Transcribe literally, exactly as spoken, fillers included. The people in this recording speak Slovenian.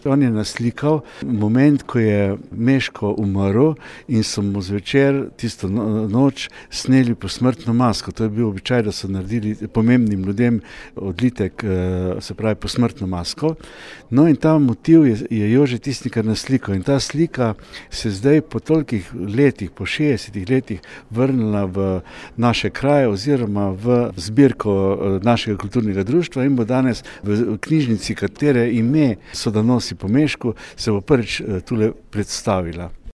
On je naslikal moment, ko je Meško umrl in so mu zvečer tisto noč sneli posmrtno masko. To je bil običaj, da so naredili pomembnim ljudem odlitek, se pravi posmrtno masko. No in ta motiv je, je Jože Tisnikar naslikal in ta slika se zdaj po tolikih letih, po šestdesetih letih vrnila v naše kraje oziroma v zbirko našega kulturnega društva in bo danes v knjižnici, katere ime so Donosi po Mešku, se bo prvič tule predstavila.